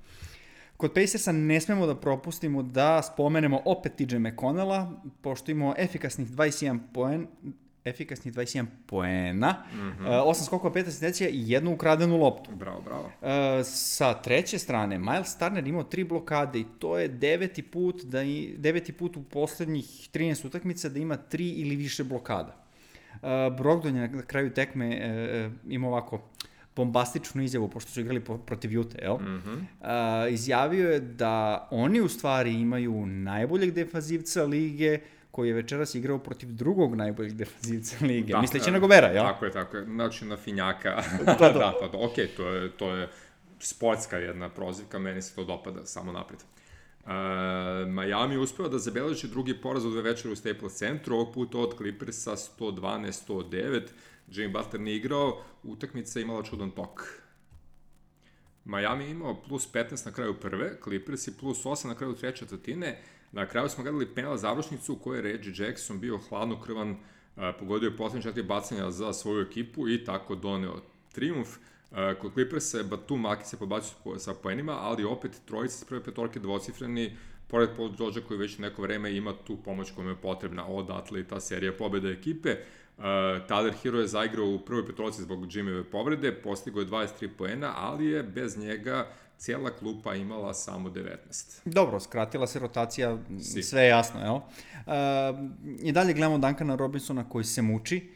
Kod Pacersa ne smemo da propustimo da spomenemo opet TJ McConnella, pošto imamo efikasnih 21 poena, 8 skokova, 5 asistencija i 1 ukradenu loptu. Bravo. Sa treće strane, Miles Turner imao 3 blokade i to je 9. put u poslednjih 13 utakmica da ima 3 ili više blokada. Brogdon je na kraju tekme imao ovako bombastičnu izjavu, pošto su igrali protiv Utah, izjavio je da oni u stvari imaju najboljeg defanzivca lige, koji je večeras igrao protiv drugog najboljeg defanzivca lige, misleći na Gobera, jel? Tako je, znači na finjaka. Okej, to je sportska jedna prozivka, meni se to dopada, samo napred. Miami uspeo da zabeleži drugi poraz od 2 večera u Staples centru, ovog puta od Clippersa 112-109, Jimmy Butler nije igrao, utakmica imala čudan tok. Miami imao plus 15 na kraju prve, Clippers i plus 8 na kraju treće četvrtine. Na kraju smo gledali penal završnicu u kojoj je Reggie Jackson bio hladnokrvan, pogodio je poslednje 4 bacanja za svoju ekipu i tako doneo trijumf. Kod Clippersa je Batum Aki se podbacio sa poenima, ali opet trojica s prve petorke dvocifreni, pored Paul Georgea koji već neko vreme ima tu pomoć koja je potrebna, odatle i ta serija pobjeda ekipe. Tyler Hero je zaigrao u prvoj petorci zbog Jimmyve povrede, postigao je 23 poena, ali je bez njega cijela klupa imala samo 19. Dobro, skratila se rotacija, sve je jasno, jel? I dalje gledamo Duncana Robinsona koji se muči.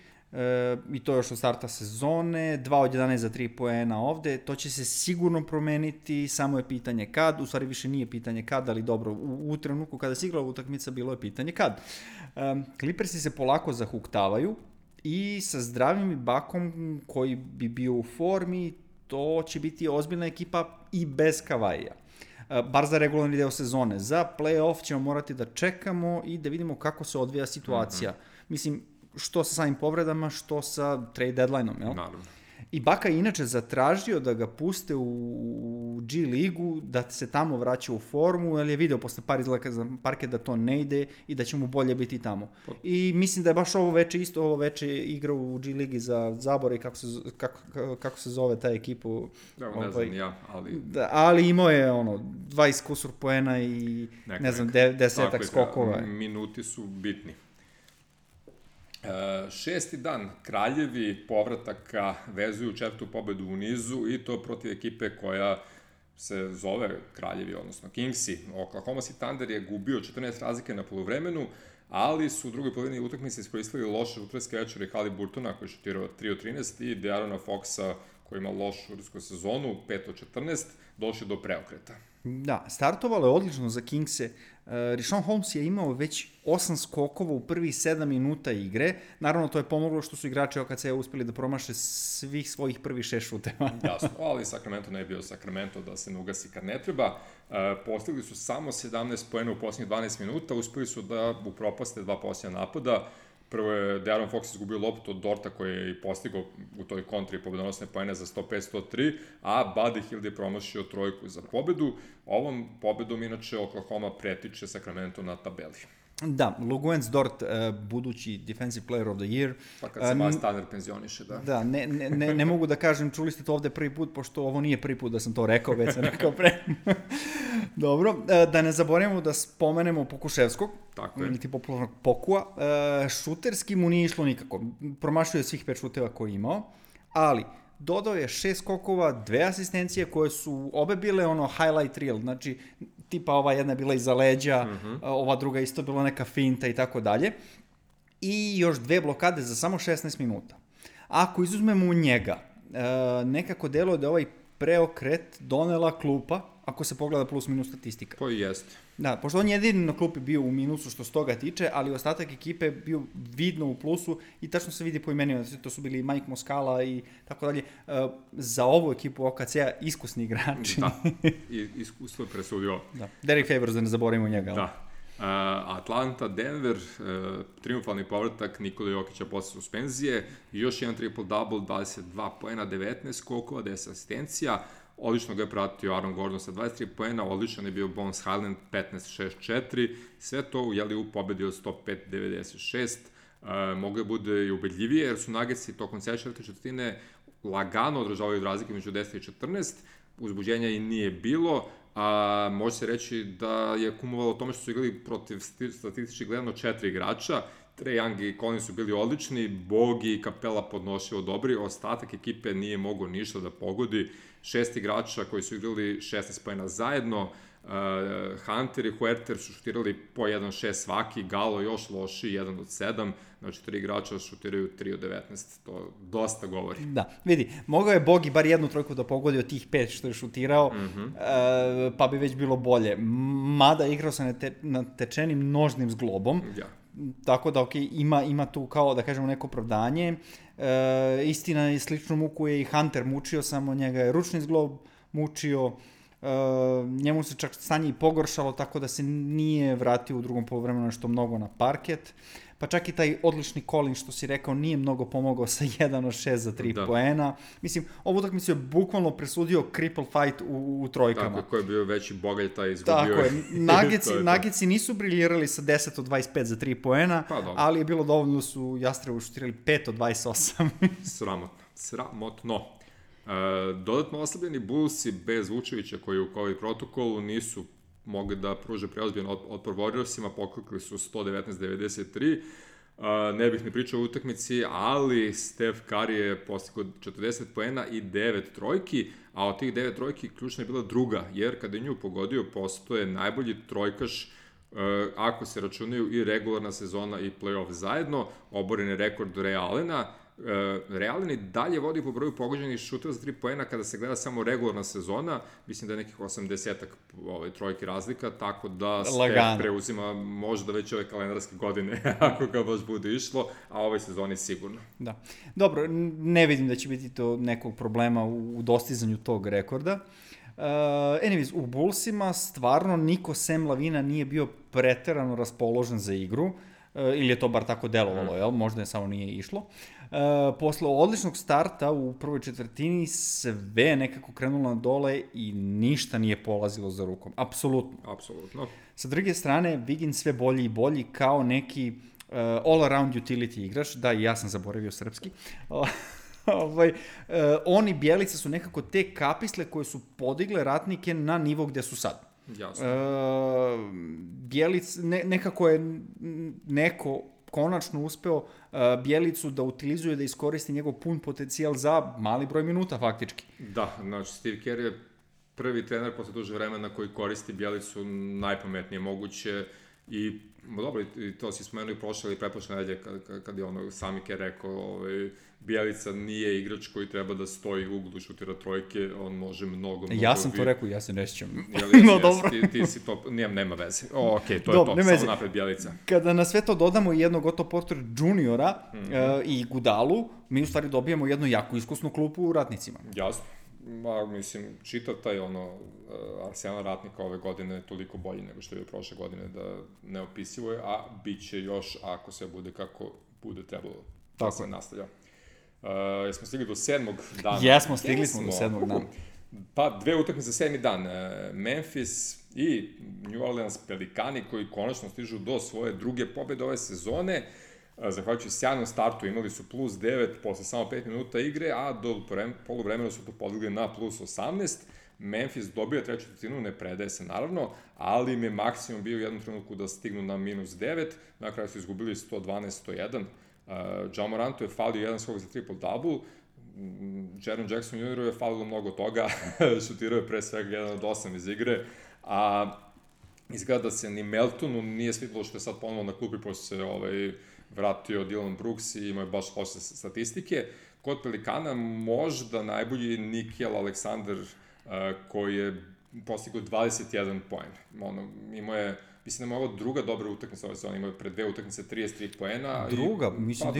i to još od starta sezone, 2 od 11 za 3 poena ovde, to će se sigurno promeniti, samo je pitanje kad, u stvari više nije pitanje kad, ali dobro, u trenutku kada se igrala utakmica bilo je pitanje kad. Clippersi se polako zahuktavaju i sa zdravim Bakom koji bi bio u formi, to će biti ozbiljna ekipa i bez Kavaija. Bar za regularni deo sezone. Za play-off ćemo morati da čekamo i da vidimo kako se odvija situacija. Mislim, što sa samim povredama, što sa trade deadline-om, jel? Naravno. I Baka je inače zatražio da ga puste u G ligu, da se tamo vraća u formu, jer je video posle par izlaka za parket da to ne ide i da će mu bolje biti tamo. I mislim da je baš ovo veče igrao u G ligi za Zabor i kako se zove ta ekipa. Ne znam ja, ali... Da, ali imao je 20 kusur poena i ne znam, 10 skokova. Minuti su bitni. 6. dan, Kraljevi povrataka vezuju 4. pobedu u nizu i to protiv ekipe koja se zove Kraljevi, odnosno Kingsi. Oklahoma City Thunder je gubio 14 razlike na polovremenu, ali su u drugoj polovini utakmice iskoristili loše šuterske večere Haliburtona koji je šutirao 3 od 13 i De'Aarona Foxa koji ima lošu šutersku sezonu, 5 od 14, došli do preokreta. Da, startovalo je odlično za Kingse. Richaun Holmes je imao već 8 skokova u prvih 7 minuta igre. Naravno, to je pomoglo što su igrači OKC uspeli da promaše svih svojih prvih 6 šuteva. Jasno, ali Sacramento ne je bio Sacramento da se ne ugasi kad ne treba. Postigli su samo 17 poena u posljednjih 12 minuta, uspeli su da upropaste 2 posljednja napada. Prvo je De'Aaron Fox izgubio loptu od Dorta koji je i postigao u toj kontri pobedonosne poene za 105-103, a Buddy Hield je promašio trojku za pobedu. Ovom pobedom inače Oklahoma pretiče Sacramento na tabeli. Da, Luguentz Dort, budući Defensive Player of the Year. Pa kad se Miles Turner penzioniše, da. Da, ne mogu da kažem, čuli ste to ovde prvi put, pošto ovo nije prvi put da sam to rekao, već sam rekao pre. Dobro, da ne zaboravimo da spomenemo Pokuševskog, niti popularnog Pokua. Šuterski mu nije išlo nikako. Promašio je svih 5 šuteva koje je imao, ali dodao je 6 skokova, 2 asistencije koje su obe bile highlight reel, znači tipa ova jedna je bila iza leđa, ova druga isto bila neka finta i tako dalje. I još 2 blokade za samo 16 minuta. Ako izuzmemo njega, nekako deluje da ovaj preokret donela klupa, ako se pogleda plus minus statistika. To i jeste. Da, pošto on jedini na klupi bio u minusu što se toga tiče, ali ostatak ekipe bio vidno u plusu i tačno se vidi po imenima, to su bili Mike Muscala i tako dalje. Za ovu ekipu OKC-a iskusni igrači. Da, i iskustvo je presudio. Da. Derek Favors, da ne zaboravimo njega. Da. Atlanta, Denver, triumfalni povratak Nikola Jokića posle suspenzije i još jedan triple-double, 22 poena, 19 skokova, 10 asistencija. Odlično ga je pratio Aaron Gordon sa 23 poena, odličan je bio Bones Highland 15-6-4, sve to u pobedi od 105-96. Mogu je bude i ubedljivije jer su Nuggetsi tokom četvrte četvrtine lagano održavaju razlike među 10 i 14, uzbuđenja i nije bilo, a može se reći da je kumovalo tome što su igrali protiv statistički gledano 4 igrača. Trae Young i Collins su bili odlični, Bogi i Capela podnošio dobri, ostatak ekipe nije mogao ništa da pogodi. 6 igrača koji su igrali 16 poena zajedno, Hunter i Huerter su šutirali po 1-6 svaki, Galo još loši, 1 od 7, znači 3 igrača šutiraju 3 od 19, to dosta govori. Da, vidi, mogao je Bogi bar jednu trojku da pogodi od tih 5 što je šutirao, pa bi već bilo bolje. Mada igrao se natečenim nožnim zglobom, tako da ima tu kao da kažemo neko opravdanje. Istina je sličnu muku je i Hunter mučio, samo njega je ručni zglob mučio, njemu se čak stanje i pogoršalo, tako da se nije vratio u drugom poluvremenu nešto mnogo na parket, pa čak i taj odlični Collins što si rekao nije mnogo pomogao sa 1 od 6 za 3 poena. Mislim, ovu utakmicu je bukvalno presudio cripple fight u trojkama. Tako je, ko je bio veći bogalj, taj izgubio. Tako je, Nuggetsi nisu briljirali sa 10 od 25 za 3 poena, ali je bilo dovoljno da su Jastrebu šutirali 5 od 28. Sramotno. Dodatno oslabljeni Bullsi bez Vučevića koji u COVID protokolu nisu mogli da pruže preozbiljan otpor Warriorsima, poklekli su 119-93. Ne bih ne pričao o utakmici, ali Steph Curry je postigao 40 poena i 9 trojki, a od tih 9 trojki ključna je bila druga, jer kada je nju pogodio, postoje najbolji trojkaš ako se računaju i regularna sezona i playoff zajedno, oboren je rekord Ray Allena, Realen i dalje vodi po broju pogođenih šuteva za 3 poena kada se gleda samo regularna sezona, mislim da je nekih 80-ak trojki razlika, tako da Steph preuzima možda već ove kalendarske godine, ako ga baš bude išlo, a ove sezoni sigurno. Da. Dobro, ne vidim da će biti to nekog problema u dostizanju tog rekorda. Anyways, u Bullsima stvarno niko sem Lavina nije bio preterano raspoložen za igru, ili je to bar tako delovalo, jel? Možda je samo nije išlo. Posle odličnog starta u prvoj četvrtini sve nekako krenulo na dole i ništa nije polazilo za rukom. Apsolutno. Apsolutno. Sa druge strane, Wiggins sve bolji i bolji kao neki all-around utility igrač. Da, i ja sam zaboravio srpski. Oni Bjelica su nekako te kapisle koje su podigle Ratnike na nivo gde su sad. Jasno. Bjelic, nekako je neko konačno uspeo Bjelicu da utilizuje, da iskoristi njegov pun potencijal za mali broj minuta faktički. Da, znači Steve Kerr je prvi trener posle duže vremena koji koristi Bjelicu najpametnije moguće i dobro, i to si spomenuo i prošle ili pretprošle nedelje kad je ono sami Kerr rekao Bjelica nije igrač koji treba da stoji u uglu, šutira trojke, on može mnogo... Ja sam to rekao, ja se ne sjećam. No, dobro. Ti si to, nema veze. Okej, to je to, samo napred Bjelica. Kada na sve to dodamo jednog Otto Porter juniora i Gudalu, mi u stvari dobijemo jednu jako iskusnu klupu u Ratnicima. Jasno. Mislim, čitav taj arsenal Ratnika ove godine je toliko bolji nego što je prošle godine, da neopisivo je, a bit će još ako sve bude kako bude trebalo da se nastavlja. Jesmo stigli do 7. dana? Jesmo, stigli smo do 7. dana. Pa, 2 utakmice za 7. dan. Memphis i New Orleans Pelikani koji konačno stižu do svoje druge pobjede ove sezone. Zahvaljujući sjajnom startu imali su plus 9 posle samo 5 minuta igre, a do poluvremena su to podigli na plus 18. Memphis dobio treću četvrtinu, ne predaje se naravno, ali im je maksimum bio u jednom trenutku da stignu na minus 9, na kraju su izgubili 112-101. Ja Morantu je falio jedan skok za triple-double, Jaren Jackson Jr. je falilo mnogo toga, šutirao je pre svega 1 od 8 iz igre, a izgleda da se ni Meltonu nije svidilo što je sad ponovno na klupi, pošto se vratio Dylan Brooks i imao je baš loše statistike. Kod Pelikana možda najbolji Nickeil Alexander koji je postigao 21 poen. Imao je, mislim da je ovo druga dobra utakmica ove sezone, imao je pre 2 utakmice 33 poena. Druga? Mislim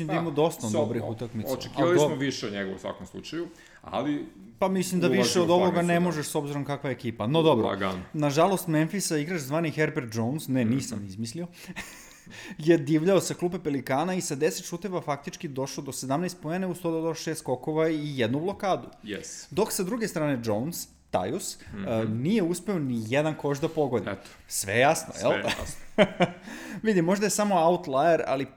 da imao dosta dobrih utakmica. Očekivali smo više od njega u svakom slučaju, ali... Pa mislim da više od ovoga ne možeš s obzirom kakva je ekipa. No dobro, nažalost Memphisa igrač zvani Herbert Jones, nisam izmislio, je divljao sa klupe Pelikana i sa 10 šuteva faktički došao do 17 poena, uz to da došao 6 skokova i jednu blokadu. Yes. Dok sa druge strane Jones, Tajus, nije uspeo ni jedan koš da pogodi. Eto. Sve jasno, jel? Sve jasno. Vidi, možda je samo outlier, ali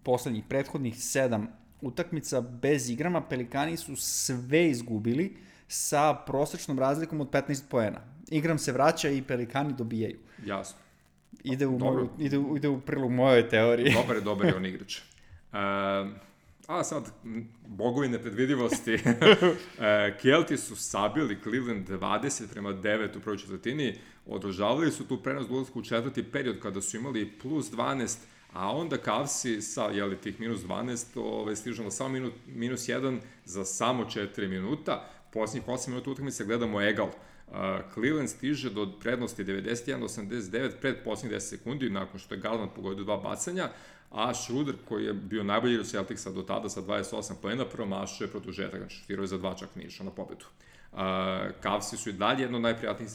poslednjih prethodnih 7 utakmica bez igrama Pelikani su sve izgubili sa prosečnom razlikom od 15 poena. Igram se vraća i Pelikani dobijaju. Jasno. Ide u prilog mojoj teoriji. Dobar je on igrač. A sad, bogovi nepredvidivosti. Kelti su sabili Cleveland 20-9 u prvoj četvrtini. Održavali su tu prenos dolazku u četvrti period kada su imali plus 12, a onda Cavsi sa tih minus 12 stižu na samo minus 1 za samo 4 minuta. Posljednjih 8 minuta utakmice gledamo egal. Cleveland stiže do prednosti 91-89 pred posljednjih 10 sekundi nakon što je Garland pogodio 2 bacanja, a Schroeder koji je bio najbolji igrač Celticsa do tada sa 28 poena promašuje produžetak, znači šutirao je za 2, čak nije išao na pobedu. Cavsi su i dalje jedno od najprijatnijih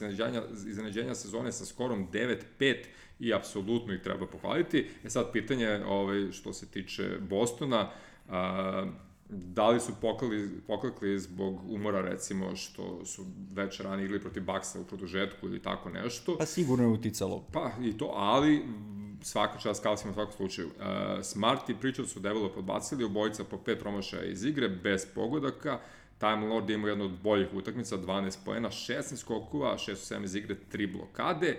iznenađenja sezone sa skorom 9-5 i apsolutno ih treba pohvaliti. Sad pitanje što se tiče Bostona, da li su poklekli zbog umora, recimo, što su već ranije igli protiv Bucksa u produžetku ili tako nešto. Pa sigurno je uticalo. Pa i to, ali svaka čast Cavsima u svakom slučaju. Smart i Pritchard su debelo podbacili, obojica po 5 promašaja iz igre, bez pogodaka. Time Lord je imao jednu od boljih utakmica, 12 poena, 16 skokova, 6-7 iz igre, 3 blokade.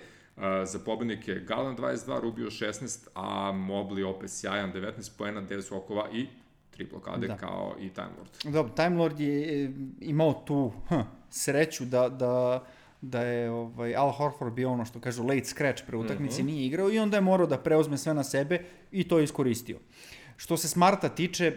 Za pobednike Garland 22, Rubio 16, a Mobley opet sjajan, 19 poena, 9 skokova i 3 blokade kao i Time Lord. Dobro, Time Lord je imao tu sreću da je Al Horford bio ono što kažu late scratch pre utakmici, nije igrao i onda je morao da preuzme sve na sebe i to je iskoristio. Što se Smarta tiče,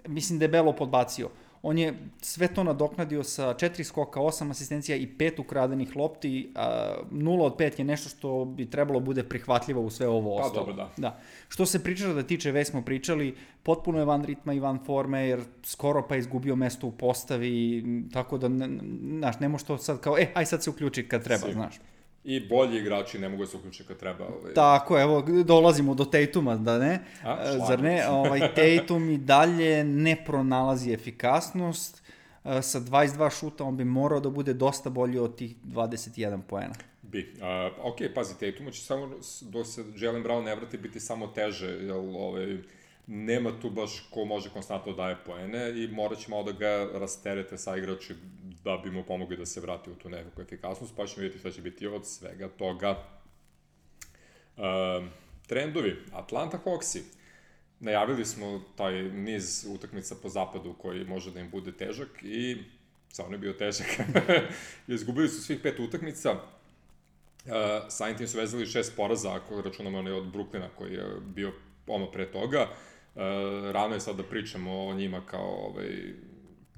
mislim da je Belo podbacio. On je sve to nadoknadio sa 4 skoka, 8 asistencija i 5 ukradenih lopti. 0 od 5 je nešto što bi trebalo bude prihvatljivo u sve ovo ostalo. Pa dobro, da. Što se pričalo da tiče, već smo pričali, potpuno je van ritma i van forme, jer skoro pa izgubio mesto u postavi, tako da, znaš, ne može to sad kao, aj sad se uključi kad treba, znaš. I bolji igrači ne mogu se uključiti kad treba. Tako, evo, dolazimo do Tatuma, da ne? Zar ne? Tatum i dalje ne pronalazi efikasnost. Sa 22 šuta on bi morao da bude dosta bolji od tih 21 poena. Bi. Ok, pazi, Tatumu će samo, dok se Jaylen Brown ne vrati, biti samo teže, jer nema tu baš ko može konstantno daje poene i morat će malo da ga rasterete sa igrači da bi mu pomogli da se vrati u tu nekakvu efikasnost, pa ćemo vidjeti šta će biti od svega toga. Trendovi. Atlanta Hawksi. Najavili smo taj niz utakmica po zapadu koji može da im bude težak i stvarno je bio težak. Izgubili su svih 5 utakmica. Samim tim su vezali 6 poraza, ako računamo onaj od Brooklyna koji je bio pre toga. Rano je sad da pričamo o njima kao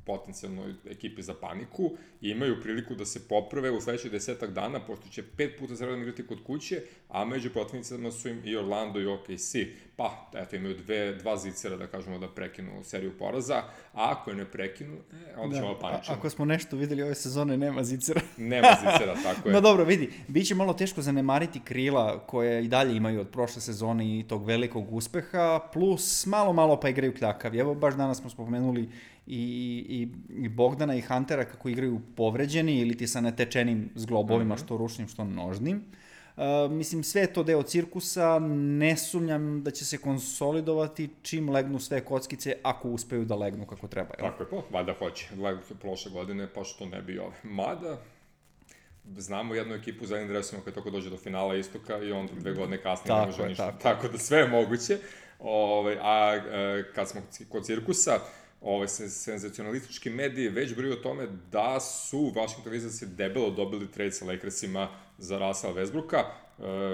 potencijalnoj ekipi za paniku i imaju priliku da se poprave u sledećih 10 dana, pošto će 5 puta za redom igrati kod kuće, a među protivnicama su im i Orlando i OKC. Pa, eto, imaju dva zicera, da kažemo, da prekinu seriju poraza, a ako je ne prekinu, onda ćemo paničiti. Ako smo nešto videli ove sezone, nema zicera. Nema zicera, tako je. No dobro, vidi, bit će malo teško zanemariti krila koje i dalje imaju od prošle sezone i tog velikog uspeha, plus malo pa igraju kljakavi. Evo, baš danas smo spomenuli i Bogdana i Huntera kako igraju povređeni ili ti sa netečenim zglobovima, što ručnim, što nožnim. Mislim, sve je to deo cirkusa, ne sumnjam da će se konsolidovati čim legnu sve kockice, ako uspeju da legnu kako treba. Tako je, valjda hoće. Legnu su prošle godine, pa što ne bi ove. Mada, znamo jednu ekipu za jednim dresima koja tako dođe do finala istoka i onda 2 godine kasnije ne može ništa. Tako da sve je moguće. Kad smo kod cirkusa, senzacionalistički mediji već briju o tome da su Washington Wizardsi debelo dobili trade sa Lakersima za Russella Westbrooka.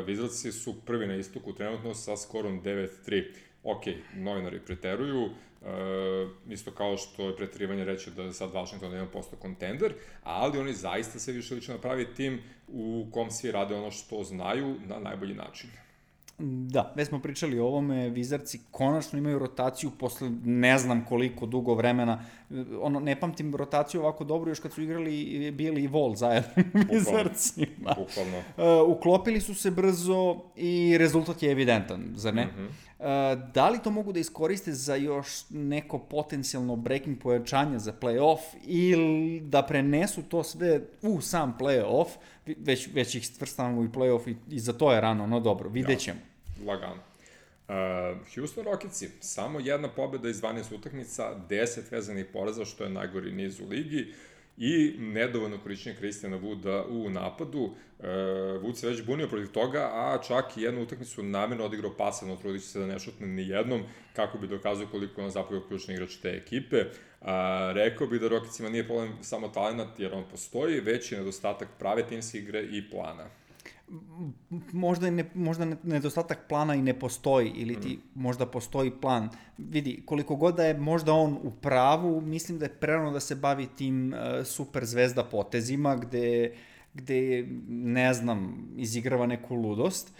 Wizardsi su prvi na istoku trenutno sa skorom 9-3. Ok, novinari preteruju, isto kao što je preterivanje reći da je sad Washington 1% kontender, ali oni zaista se više lično napravi tim u kom svi rade ono što znaju na najbolji način. Da, već smo pričali o ovome, Wizardsi konačno imaju rotaciju posle ne znam koliko dugo vremena, ne pamtim rotaciju ovako dobro još kad su igrali Billy i Wall zajedno Wizardsima. Uklopili su se brzo i rezultat je evidentan, zar ne? Da li to mogu da iskoriste za još neko potencijalno breaking pojačanje za play-off ili da prenesu to sve u sam play-off, već ih stvrstavamo i play-off i za to je rano, no dobro, vidjet ćemo. Lagano. Houston Rocketsi, samo jedna pobjeda iz 12 utakmica, 10 vezanih poraza, što je najgori niz u ligi, i nedovoljno korišćenje Christiana Wooda u napadu. Wood se već bunio protiv toga, a čak i jednu utakmicu namjerno odigrao pasivno, trudit će se da ne šutne ni jednom, kako bi dokazao koliko je on zapravo ključni igrač te ekipe. Rekao bi da Rocketsima nije problem samo talent, jer on postoji, već je nedostatak prave timske igre i plana. Možda nedostatak plana i ne postoji, ili ti možda postoji plan. Vidi, koliko god da je možda on u pravu, mislim da je prerano da se bavi tim super zvezda potezima, gde ne znam, izigrava neku ludost.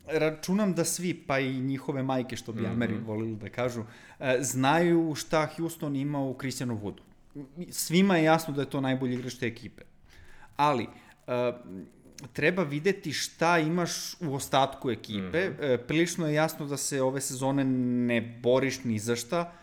Računam da svi, pa i njihove majke, što bi Ameri volili da kažu, znaju šta Houston ima u Christianu Woodu. Svima je jasno da je to najbolji igrač te ekipe. Ali treba videti šta imaš u ostatku ekipe. Prilično je jasno da se ove sezone ne boriš ni za šta,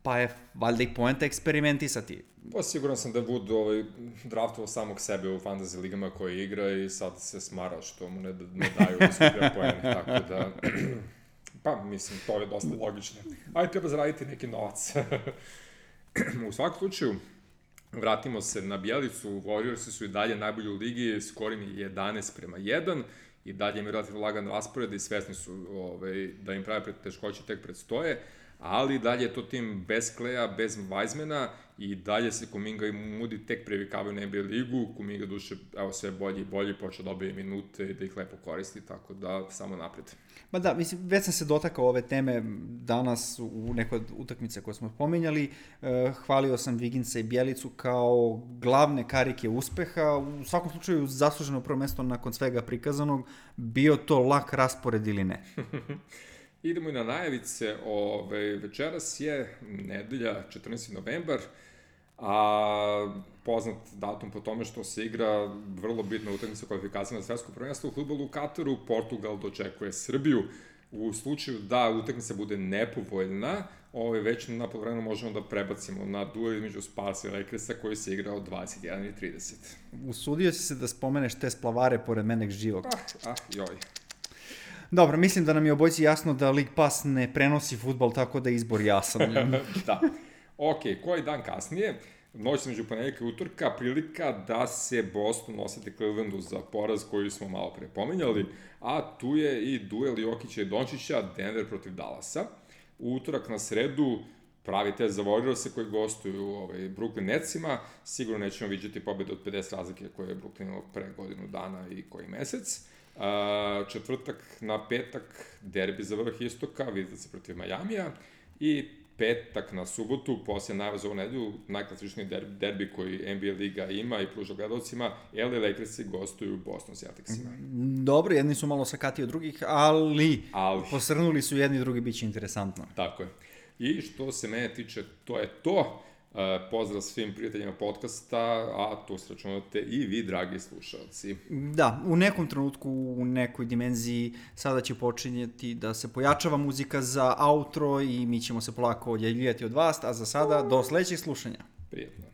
pa je valjda i poenta eksperimentisati. Pa siguran sam da Wood draftovao samog sebe u fantasy ligama koje igra i sad se smara što mu ne daju da se igra poene, tako da... Pa, mislim, to je dosta logično. Ali treba zaraditi neki novac. U svakom slučaju, vratimo se na Bjelicu, Warriorsi su i dalje najbolji u ligi, skorim je 11-1, i dalje imaju relativno lagan raspored i svesni su da im prave teškoće tek predstoje, ali dalje je to tim bez Kleja, bez Weizmana i dalje se Kuminga i Moody tek privikavaju na NBA ligu, Kuminga duše, evo, sve bolji i bolji, počeo dobije minute i da ih lepo koristi, tako da samo napred. Ma da, mislim, već sam se dotakao ove teme danas u nekoj od utakmice koje smo pominjali. Hvalio sam Viginca i Bjelicu kao glavne karike uspeha. U svakom slučaju zasluženo prvo mesto nakon svega prikazanog, bio to lak raspored ili ne. Idemo i na najavice. Večeras je nedelja, 14. novembar, a poznat datum po tome što se igra vrlo bitna utakmica kvalifikacija na svetsko prvenstvo u fudbalu u Kataru. Portugal dočekuje Srbiju. U slučaju da utakmica bude nepovoljna, već na polovremenu možemo da prebacimo na duel između Sparsa i Lakersa koji se igra od 21:30. Usudio si se da spomeneš te splavare pored mene živog. Joj. Dobro, mislim da nam je obojici jasno da League Pass ne prenosi fudbal, tako da je izbor jasan. Da. Ok, koji dan kasnije, noć među ponedjeljka i utorka, prilika da se Boston osete Clevelandu za poraz koji smo malo pre pominjali, a tu je i duel Jokića i Dončića, Denver protiv Dallasa. U utorak na sredu pravi test za Warriorse koji gostuju Brooklyn Netsima, sigurno nećemo vidjeti pobjede od 50 razlike koje je Brooklyn imao pre godinu dana i koji mesec. Četvrtak na petak derbi za vrh istoka, vidite se protiv Majamija, i petak na subotu, poslije najava za ovu nedelju, najklasičniji derbi koji NBA liga ima i pruža gledalcima, LA Lakersi gostuju Boston Celticsima. Dobro, jedni su malo sakati od drugih, ali posrnuli su jedni i drugi, bit će interesantno. Tako je. I što se mene tiče, to je to. Pozdrav svim prijateljima podcasta, a tu se računate i vi, dragi slušalci. Da, u nekom trenutku, u nekoj dimenziji, sada će počinjeti da se pojačava muzika za outro i mi ćemo se polako odjavljivati od vas, a za sada, do sledećeg slušanja. Prijetno.